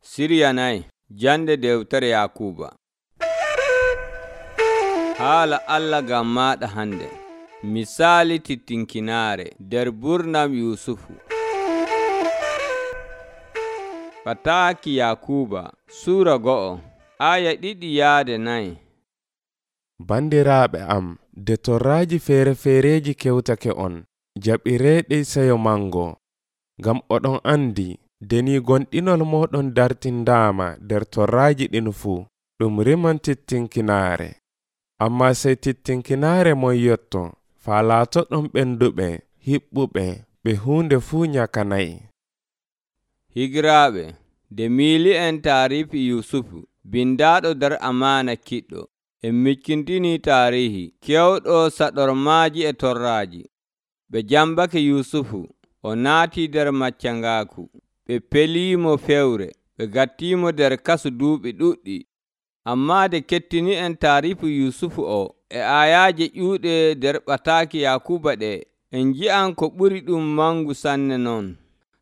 Siryanay jande dewtere Yakuba. Haala Allah ngam maɗa hande. Misali titinkinaare nder burnam Yusufu. Pataaki Yakuba Sura 2 aya 2-4. Bandiraaɓe am, de torraaji feere-feereji kewtake on, jaɓireeɗi seyo mango, ngam oɗon andi deni gonɗinol moɗon dartindaama nder torraaji ɗin fuu, ɗum riman titinkinaare. Amma sey titinkinaare mon yotto, faa laatoɗon ɓenduɓe, hiɓɓuɓe, ɓe huunde fuu nyakanayi. Higiraaɓe, de miili'en taarifi Yusufu, bindaaɗo nder amaana kiɗɗo. En miccintini taarihi kewɗo saɗormaaji e torraaji. Ɓe jambake Yusufu, o naati nder maccangaaku. Ɓe peliimo fewre, ɓe gattiimo nder kasu duuɓi ɗuɗɗi. Ammaa de kettini en taarifu Yusufu o e ayaaje ƴuuɗe nder ɓataaki Yakuba ɗe, en ngi'an ko ɓuri ɗum mangu sanne non.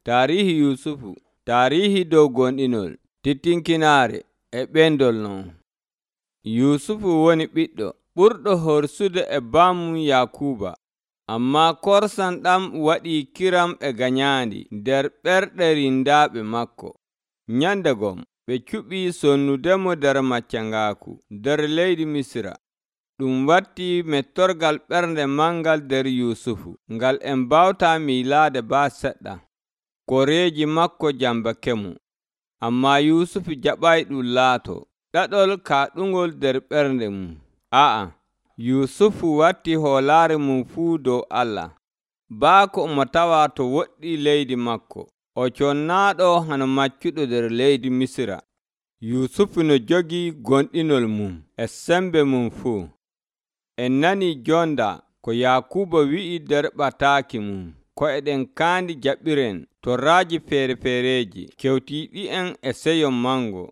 Taarihi Yusufu, taarihi dow gonɗinol, titinkinaare e ɓendol non. Yusufu woni ɓiɗɗo ɓurɗo horsude e bammum Yakuba, ammaa korsan ɗam waɗii kiram e ganyaandi nder ɓerɗe rindaaɓe makko. Nyandegom ɓe cuɓii sonnudemo nder maccangaaku nder leydi Misira. Ɗum watti mettorgal ɓernde mangal nder Yusufu, ngal en mbawta miilaade baa seɗɗa. Koreeji makko jambakemo, ammaa Yusufu jaɓay ɗum laato ɗaɗol kaaɗungol nder ɓernde mum. Yusufu watti hoolaare mum fuu dow Allah. Baako omo tawa to woɗɗi leydi makko, o connaaɗo hano maccuɗo nder leydi Misira. Yusufu no jogii gonɗinol mum e sembe mum fuu. En nani jonda ko Yakuba wi'i nder ɓataaki mum, ko eɗen kaandi jaɓiren torraaji feere-feereji kewtiiɗi'en e seyo mango.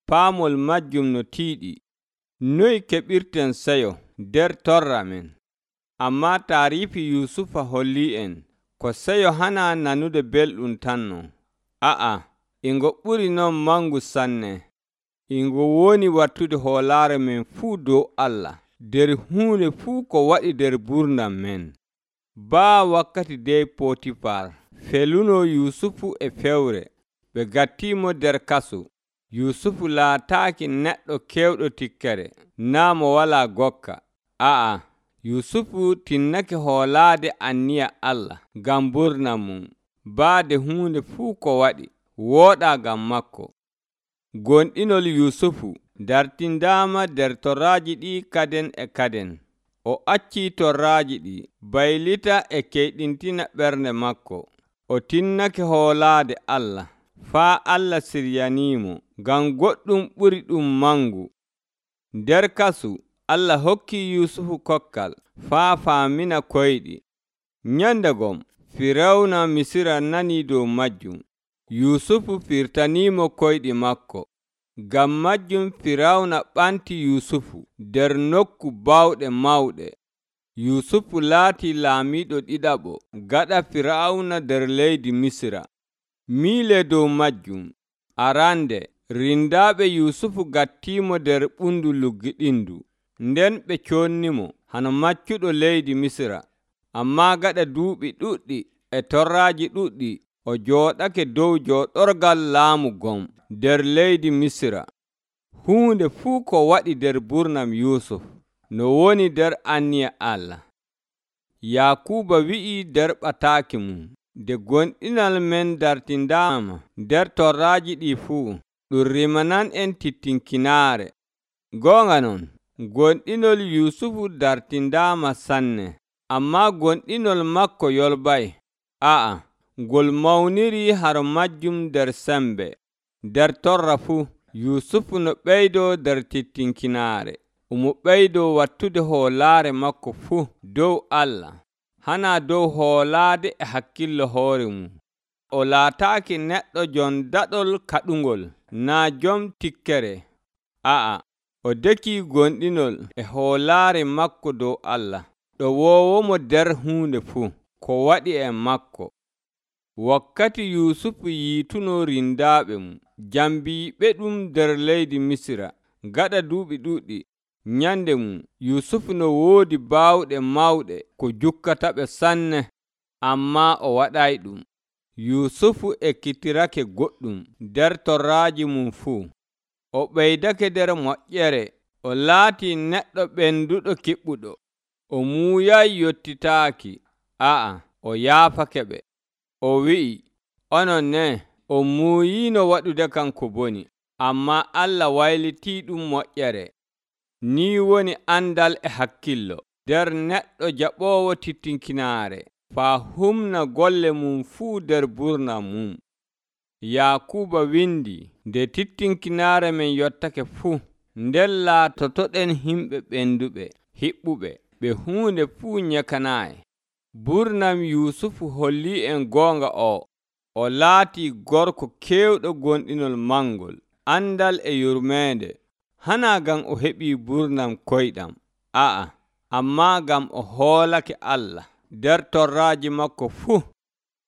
Paamol majjum no tiiɗi. Noy keɓirten seyo nder torra men? Ammaa taarifi Yusufa hollii en ko seyo hana nanude belɗum tanno. Ingo ɓuri non mangu sanne. Ingo woni wattude hoolaare men fuu dow Allah nder huunde fuu ko waɗi nder burnam men. Baa wakkati dey Potifar feluno Yusufu e fewre, ɓe gattiimo nder kasu. Yusufu laataaki neɗɗo kewɗo tikkere, naa mo walaa gokka. Yusufu tinnake hoolaade anniya Allah ngam burnam mum, baade huunde fuu ko waɗi wooɗaa ngam makko. Gonɗinol Yusufu dartindaama nder torraaji ɗi kaden e kaden. O accii torraaji ɗi baylita e keyɗintina ɓernde makko. O tinnake hoolaade Allah, faa Allah siryaniimo ngam goɗɗum ɓuri ɗum mangu. Nder kasu, Allah hokkii Yusufu kokkal faa faamina koyɗi. Nyandegom Firawna Misira nanii dow majjum. Yusufu firtaniimo koyɗi makko. Ngam majjum Firawna ɓanti Yusufu nder nokku bawɗe mawɗe. Yusufu laatii laamiiɗo ɗiɗaɓo gaɗa Firawna nder leydi Misira. Miile dow majjum, arande rindaaɓe Yusufu gattiimo nder ɓundu luggiɗindu. Nden ɓe connimo hano maccuɗo leydi Misira. Ammaa gaɗa duuɓi ɗuɗɗi e torraaji ɗuɗɗi, o jooɗake dow jooɗorgal laamu gom nder leydi Misira. Huunde fuu ko waɗi nder burnam Yusuf no woni nder anniya Allah. Yakuba wi'i nder ɓataaki mum, de gonɗinal men dartindaama nder torraaji ɗi fuu, ɗum rimanan en titinkinaare. Goonga non, gonɗinol Yusufu dartindaama sanne, ammaa gonɗinol makko yolbay. Ngol mawniri haro majjum nder sembe. Nder torra fuu, Yusufu no ɓeydoo nder titinkinaare. Omo ɓeydoo wattude hoolaare makko fuu dow Allah, hana dow hoolaade e hakkillo hoore mum. O laataaki neɗɗo jon daɗol kaɗungol, naa jom tikkere. O dekii gonɗinol e hoolaare makko dow Allah, ɗo woowomo nder huunde fuu ko waɗi e makko. Wakkati Yusufu yiituno rindaaɓe mum, jambiiɓe ɗum nder leydi Misira. Gaɗa duuɓi ɗuuɗɗi nyande mum Yusufu no woodi baawɗe mawɗe ko jukkataɓe sanne, ammaa o waɗay ɗum. Yusufu ekkitirake goɗɗum nder torraaji mum fuu. O ɓeydake nder moƴƴere. O laatii neɗɗo ɓenduɗo kiɓɓuɗo. O muuyay yottitaaki. O yaafake ɓe. O wi'i, onon ne on muuyiino waɗude kam ko boni, ammaa Allah waylitii ɗum moƴƴere. Ni woni andal e hakkillo nder neɗɗo jaɓoowo titinkinaare, faa humna golle mum fuu nder burnam mum. Yakuuba windi, nde titinkinaare men yottake fuu, nden laatotoɗen himɓe ɓenduɓe, hiɓɓuɓe, ɓe huunde fuu nyakanaayi. Burnam Yusufu hollii en goonga o laatii gorko keewɗo gonɗinol mangol, andal e yurmeende. Hana ngam o heɓii burnam koyɗam, ammaa ngam o hoolake Allah nder torraaji makko fuu.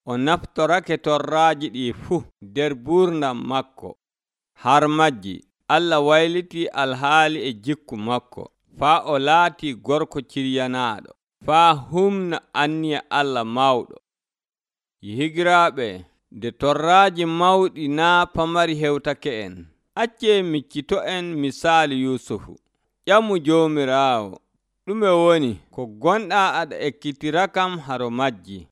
O naftorake torraaji ɗi fuu nder burnam makko. Har majji Allah waylitii alhaali e jikku makko, faa o laatii gorko ciryanaaɗo, faa humna anniya Allah mawɗo. Higiraaɓe, nde torraaji mawɗi naa pamari hewtake en, accee miccito'en misaalu Yusufu. Ƴamu Joomiraawo, ɗume woni ko gonɗaa aɗa ekkitira kam haro majji?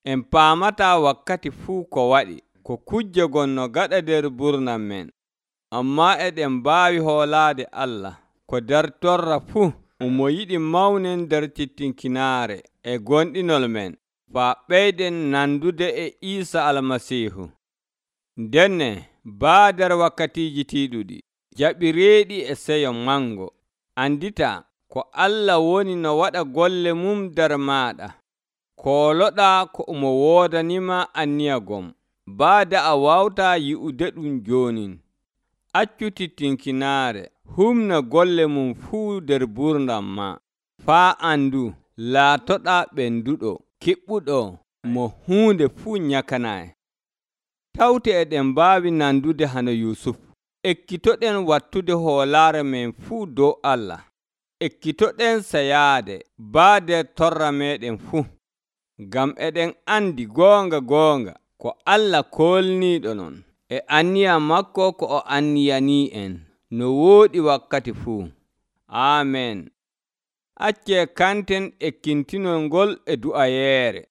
En paamataa wakkati fuu ko waɗi, ko kujje gonno gaɗa nder burnam men, ammaa eɗen mbaawi hoolaade Allah ko nder torra fuu. Omo yiɗi mawnen nder titinkinaare e gonɗinol men, faa ɓeyden nandude e Iisa Almasiihu. Ndenne baa nder wakkatiiji tiiɗuɗi, jaɓireeɗi e seyo mango, andita ko Allah woni no waɗa golle mum nder maaɗa. Kooloɗaa ko omo woodanima anniya gom, baada a wawtaa yi'ude ɗum joonin. Accu titinkinaare humna golle mum fuu nder burnam ma, faa andu laatoɗaa ɓenduɗo, kiɓɓuɗo, mo huunde fuu nyakanaayi. Tawte eɗen mbaawi nandude hano Yusufu. Ekkitoɗen wattude hoolaare men fuu dow Allah. Ekkitoɗen sayaade baa nder torra meɗen fuu, ngam eɗen andi goonga ko Allah koolniiɗo non e anniya makko ko o anniyanii en no wooɗi wakkati fuu. Aamen. Accee kanten ekkintinol ngol e du'ayeere.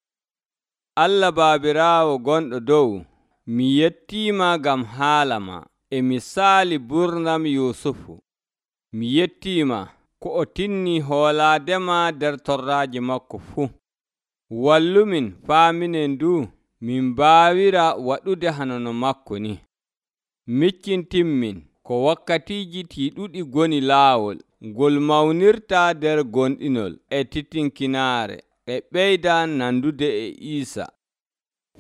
Allah Baabiraawo gonɗo dow, mi yettiima ngam haala ma e misaali burnam Yusufu. Mi yettiima ko o tinnii hoolaadema nder torraaji makko fuu. Wallumin faaminen du min mbaawira waɗude hanono makko ni. Miccintinmin ko wakkatiiji tiiɗuɗi goni laawol ngol mawnirta nder gonɗinol e titinkinaare e ɓeyda nandude e Iisa.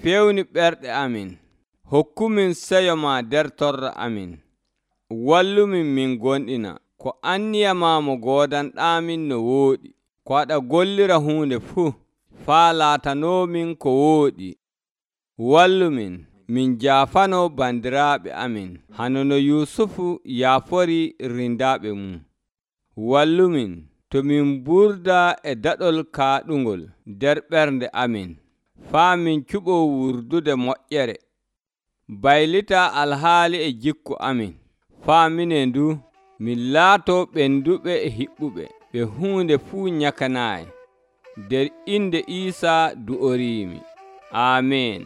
Fewni ɓerɗe amin, hokkumin seyo ma nder torra amin. Wallumin min gonɗina ko anniya ma mo goodanɗaamin no wooɗi, ko aɗa gollira huunde fuu, faa laatanoomin ko wooɗi. Wallumin min jaafano bandiraaɓe amin, hano no Yusufu yaafori rindaaɓe mum. Wallumin to min burda e daɗol kaaɗungol nder ɓernde amin, faa min cuɓoo wurdude moƴƴere. Baylita alhaali e jikku amin, faa minen du min laatoo ɓenduɓe e hiɓɓuɓe, ɓe huunde fuu nyakanaayi. Nder inde Iisa du'oriimi. Aamen.